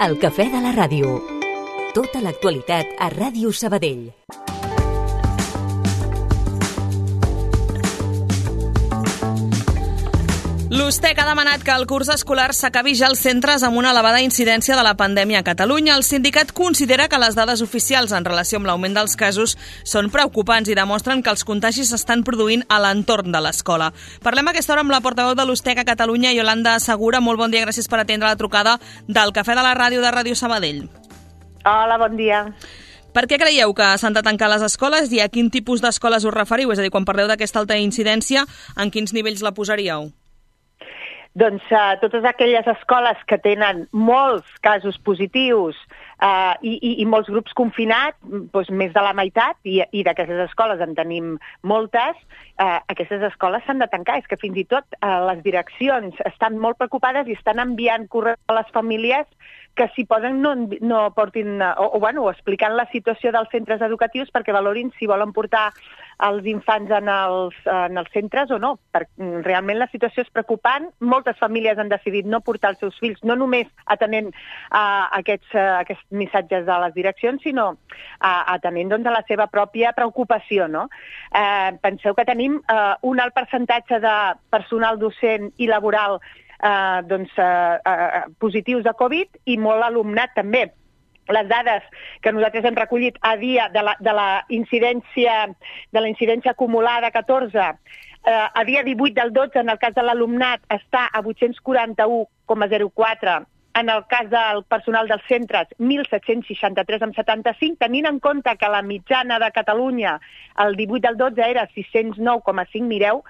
El cafè de la ràdio. Tota l'actualitat a Ràdio Sabadell. L'USTEC ha demanat que el curs escolar s'acabi ja als centres amb una elevada incidència de la pandèmia a Catalunya. El sindicat considera que les dades oficials en relació amb l'augment dels casos són preocupants i demostren que els contagis s'estan produint a l'entorn de l'escola. Parlem a aquesta hora amb la portaveu de l'USTEC a Catalunya, Iolanda Segura. Molt bon dia, gràcies per atendre la trucada del Cafè de la Ràdio de Ràdio Sabadell. Hola, bon dia. Per què creieu que s'han de tancar les escoles i a quin tipus d'escoles us referiu? És a dir, quan parleu d'aquesta alta incidència, en quins nivells la posaríeu? Doncs totes aquelles escoles que tenen molts casos positius i molts grups confinats, doncs més de la meitat, i d'aquestes escoles en tenim moltes, aquestes escoles s'han de tancar. És que fins i tot les direccions estan molt preocupades i estan enviant correus a les famílies que si poden no portin, o explicant la situació dels centres educatius perquè valorin si volen portar els infants en els centres o no. Realment la situació és preocupant. Moltes famílies han decidit no portar els seus fills, no només atenent aquests missatges de les direccions, sinó atenent a la seva pròpia preocupació, no? Penseu que tenim un alt percentatge de personal docent i laboral positius de Covid i molt alumnat també. Les dades que nosaltres hem recollit a dia de la incidència acumulada 14, a dia 18 del 12, en el cas de l'alumnat, està a 841,04, en el cas del personal dels centres, 1.763,75, tenint en compte que la mitjana de Catalunya el 18 del 12 era 609,5, mireu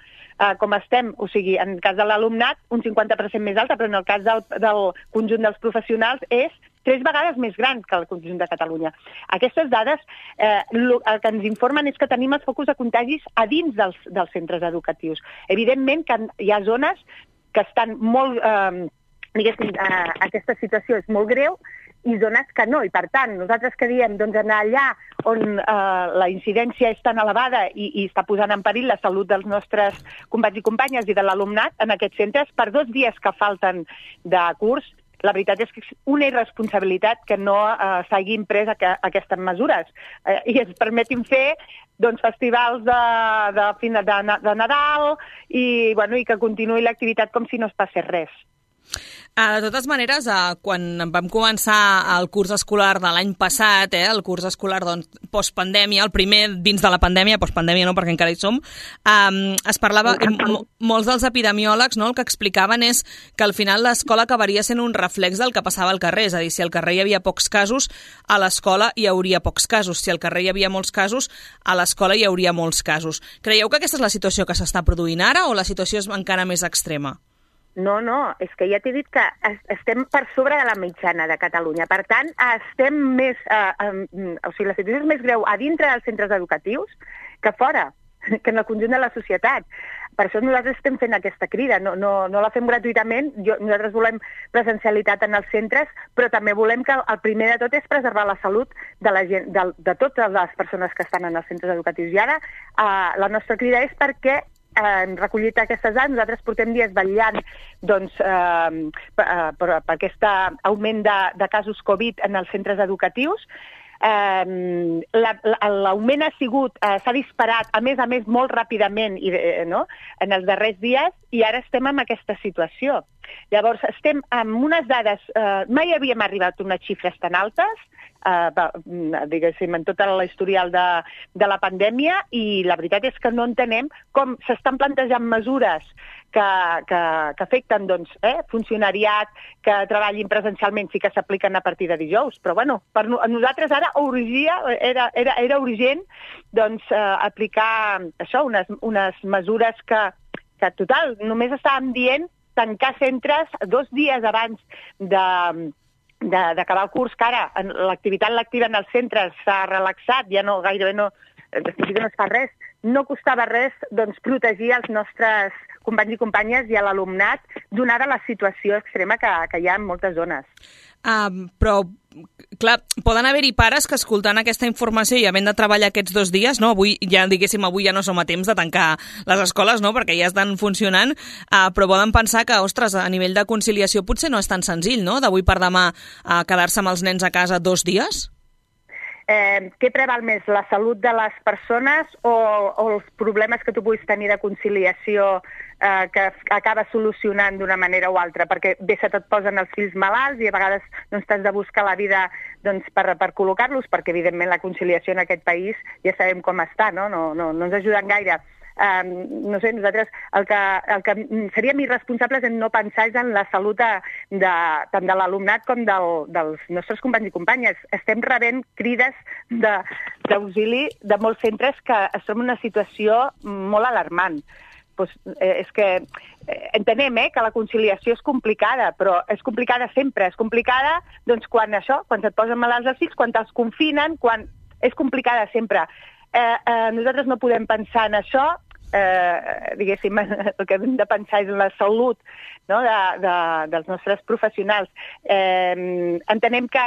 com estem, o sigui, en el cas de l'alumnat, un 50% més alta, però en el cas del conjunt dels professionals és 3 vegades més gran que el conjunt de Catalunya. Aquestes dades el que ens informen és que tenim els focus de contagis a dins dels centres educatius. Evidentment que hi ha zones que estan molt... aquesta situació és molt greu i zones que no. I per tant, nosaltres que diem anar allà on la incidència és tan elevada i està posant en perill la salut dels nostres companys i companyes i de l'alumnat en aquests centres, per 2 dies que falten de curs, la veritat és que és una irresponsabilitat que no s'hagin pres aquestes mesures i ens permetin fer festivals de Nadal i que continuï l'activitat com si no es passés res. De totes maneres, quan vam començar el curs escolar de l'any passat, el curs escolar postpandèmia, el primer dins de la pandèmia, postpandèmia no, perquè encara hi som, es parlava, molts dels epidemiòlegs el que explicaven és que al final l'escola acabaria sent un reflex del que passava al carrer, és a dir, si al carrer hi havia pocs casos, a l'escola hi hauria pocs casos, si al carrer hi havia molts casos, a l'escola hi hauria molts casos. Creieu que aquesta és la situació que s'està produint ara o la situació és encara més extrema? No, és que ja t'he dit que estem per sobre de la mitjana de Catalunya. Per tant, estem més... la situació és més greu a dintre dels centres educatius que fora, que en el conjunt de la societat. Per això nosaltres estem fent aquesta crida. No la fem gratuïtament. Nosaltres volem presencialitat en els centres, però també volem que el primer de tot és preservar la salut de la gent, de totes les persones que estan en els centres educatius. I ara la nostra crida és perquè hem recollit aquestes dades, nosaltres portem dies vetllant per aquest augment de casos Covid en els centres educatius. L'augment s'ha disparat, a més, molt ràpidament en els darrers dies i ara estem en aquesta situació. Llavors, estem amb unes dades... Mai havíem arribat a unes xifres tan altes, diguéssim, en tota la historial de la pandèmia, i la veritat és que no entenem com s'estan plantejant mesures que afecten funcionariat, que treballin presencialment, sí que s'apliquen a partir de dijous, però per nosaltres ara era urgent aplicar això, unes mesures que total, només estàvem dient tancar centres 2 dies abans d'acabar el curs, que ara l'activitat lectiva en els centres s'ha relaxat, ja gairebé no es fa res. No costava res protegir els nostres companys i companyes i a l'alumnat, donada la situació extrema que hi ha en moltes zones. Però, clar, poden haver-hi pares que escoltant aquesta informació i havent de treballar aquests 2 dies, no? Avui ja no som a temps de tancar les escoles, no? Perquè ja estan funcionant, però poden pensar que, ostres, a nivell de conciliació potser no és tan senzill, no?, d'avui per demà quedar-se amb els nens a casa 2 dies? Què preval més, la salut de les persones o els problemes que tu puguis tenir de conciliació que acabes solucionant d'una manera o altra? Perquè bé se te't posen els fills malalts i a vegades doncs, t'has de buscar la vida doncs, per col·locar-los, perquè evidentment la conciliació en aquest país ja sabem com està, no ens ajuden gaire. No sé, nosaltres el que seríem irresponsables en no pensar és en la salut tant de l'alumnat com dels nostres companys i companyes. Estem rebent crides d'auxili de molts centres que es troben en una situació molt alarmant. Pues, és que entenem que la conciliació és complicada, però és complicada sempre. És complicada doncs, quan se't posen malalts els fills, quan te'ls confinen, quan és complicada sempre. Nosaltres no podem pensar en això, diguéssim, el que hem de pensar és en la salut, no?, dels nostres professionals. Entenem que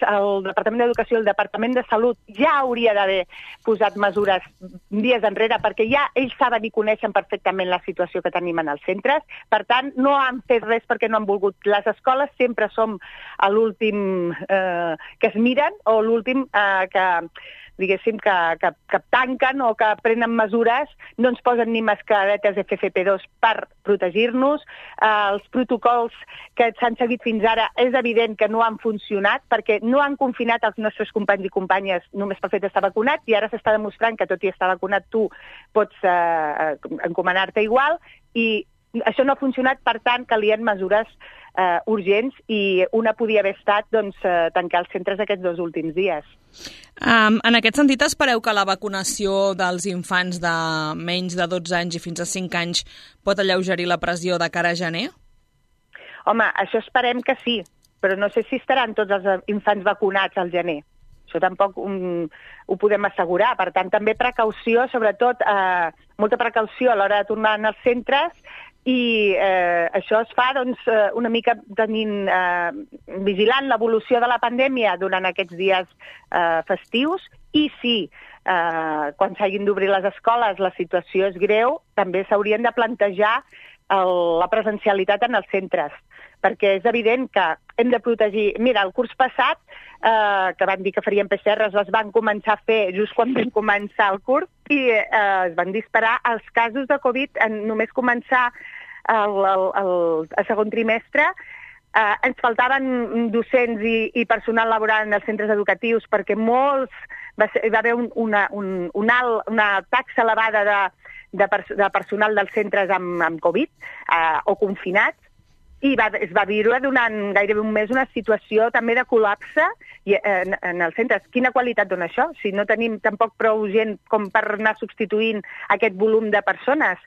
el Departament d'Educació i el Departament de Salut ja hauria d'haver posat mesures dies enrere, perquè ja ells saben i coneixen perfectament la situació que tenim en els centres. Per tant, no han fet res perquè no han volgut. Les escoles sempre som l'últim que es miren o l'últim diguéssim, que tanquen o que prenen mesures, no ens posen ni mascaretes FFP2 per protegir-nos. Els protocols que s'han seguit fins ara és evident que no han funcionat perquè no han confinat els nostres companys i companyes només pel fet d'estar vacunats i ara s'està demostrant que tot i estar vacunat tu pots encomanar-te igual i això no ha funcionat, per tant, calien mesures urgents i una podia haver estat tancar els centres aquests 2 últims dies. En aquest sentit, espereu que la vacunació dels infants de menys de 12 anys i fins a 5 anys pot alleugerir la pressió de cara a gener? Home, això esperem que sí, però no sé si estaran tots els infants vacunats al gener. Això tampoc ho podem assegurar. Per tant, també precaució, sobretot molta precaució a l'hora de tornar als centres i això es fa una mica vigilant l'evolució de la pandèmia durant aquests dies festius i si quan s'hagin d'obrir les escoles la situació és greu, també s'haurien de plantejar la presencialitat en els centres, perquè és evident que hem de protegir. Mira, el curs passat, que van dir que farien PCRs, les van començar a fer just quan vam començar el curs i es van disparar els casos de Covid en només començar el segon trimestre. Ens faltaven docents i personal laboral en els centres educatius perquè hi va haver una taxa elevada de personal dels centres amb Covid o confinats i es va viure durant gairebé un mes una situació també de col·lapse en els centres. Quina qualitat dona això? Si no tenim tampoc prou gent com per anar substituint aquest volum de persones.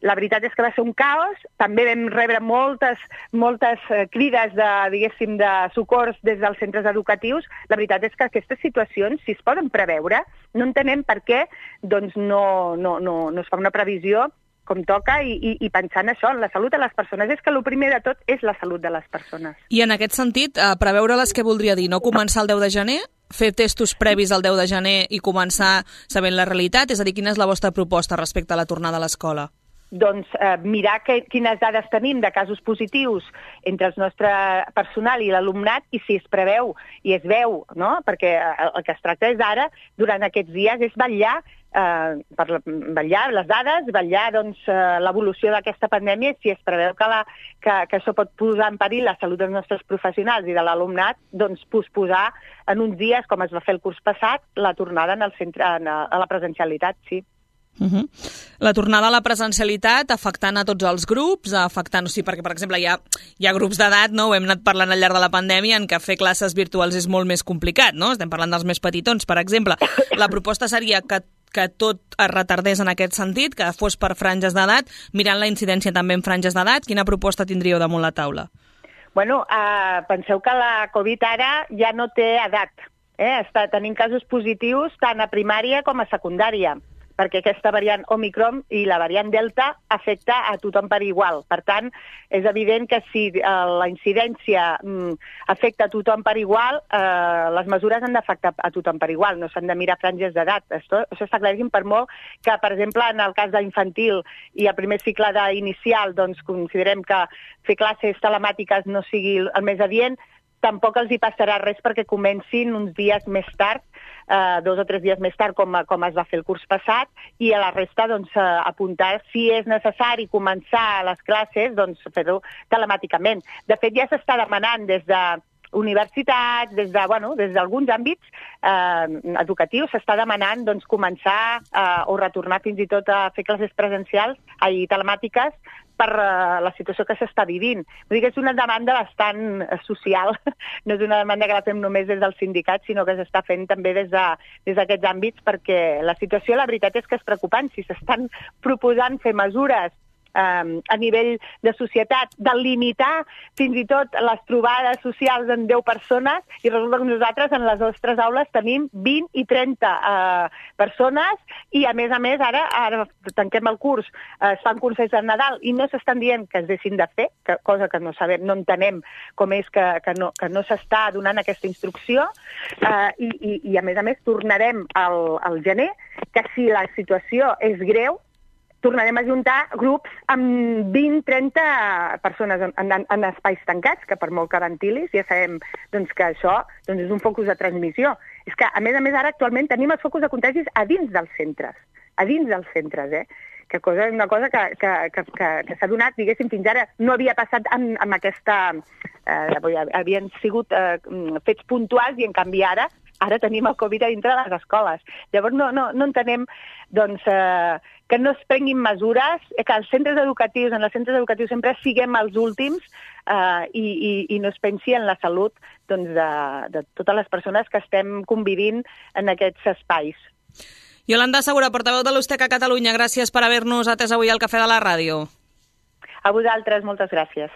La veritat és que va ser un caos, també vam rebre moltes crides de socors des dels centres educatius. La veritat és que aquestes situacions, si es poden preveure, no entenem per què no es fa una previsió com toca i pensar en això, en la salut de les persones. És que el primer de tot és la salut de les persones. I en aquest sentit, preveure-les què voldria dir? No començar el 10 de gener? Fer testos previs al 10 de gener i començar sabent la realitat? És a dir, quina és la vostra proposta respecte a la tornada a l'escola? Doncs mirar quines dades tenim de casos positius entre el nostre personal i l'alumnat i si es preveu i es veu, no? Perquè el que es tracta és ara, durant aquests dies, és vetllar per vetllar les dades, vetllar l'evolució d'aquesta pandèmia i si es preveu que això pot posar en perill la salut dels nostres professionals i de l'alumnat, doncs posposar en uns dies, com es va fer el curs passat, la tornada al centre, a la presencialitat, sí. La tornada a la presencialitat afectant a tots els grups, perquè, per exemple, hi ha grups d'edat, no? Ho hem anat parlant al llarg de la pandèmia, en què fer classes virtuals és molt més complicat, no? Estem parlant dels més petitons, per exemple. La proposta seria que tot es retardés en aquest sentit, que fos per franges d'edat, mirant la incidència també en franges d'edat. Quina proposta tindríeu damunt la taula? Bueno, penseu que la Covid ara ja no té edat. Està tenint casos positius tant a primària com a secundària. perquè aquesta variant Omicron i la variant Delta afecta a tothom per igual. Per tant, és evident que si la incidència afecta a tothom per igual, les mesures han d'afectar a tothom per igual, no s'han de mirar franges d'edat. Això està claríssim, per molt que, per exemple, en el cas d'infantil i el primer cicle d'inicial, doncs considerem que fer classes telemàtiques no sigui el més adient, tampoc els hi passarà res perquè comencin uns dies més tard, 2 o 3 dies més tard, com es va fer el curs passat, i a la resta doncs, apuntar si és necessari començar les classes, doncs fer-ho telemàticament. De fet, ja s'està demanant des de universitats, des d'alguns àmbits educatius, s'està demanant doncs, començar o retornar fins i tot a fer classes telemàtiques per la situació que s'està vivint. Vull dir que és una demanda bastant social, no és una demanda que la fem només des del sindicat, sinó que s'està fent també des d'aquests àmbits, perquè la situació, la veritat és que és preocupant. Si s'estan proposant fer mesures a nivell de societat, de limitar fins i tot les trobades socials en 10 persones, i resulta que nosaltres en les nostres aules tenim 20 i 30 persones, i a més, ara tanquem el curs, es fan concerts de Nadal i no s'estan dient que es deixin de fer, cosa que no sabem, no entenem com és que no s'està donant aquesta instrucció, i a més tornarem al gener, que si la situació és greu, tornarem a juntar grups amb 20-30 persones en espais tancats, que per molt que ventilis ja sabem doncs, que això és un focus de transmissió. És que, a més, ara actualment tenim els focus de contagis a dins dels centres, que és una cosa que s'ha donat, diguéssim, fins ara no havia passat amb aquesta... havien sigut fets puntuals i, en canvi, ara tenim el Covid a dintre de les escoles. Llavors no entenem doncs, que no es prenguin mesures, que en els centres educatius sempre siguem els últims i no es pensi en la salut doncs, de totes les persones que estem convivint en aquests espais. Iolanda Segura, portaveu de l'USTEC a Catalunya, gràcies per haver-nos atès avui al Cafè de la Ràdio. A vosaltres, moltes gràcies.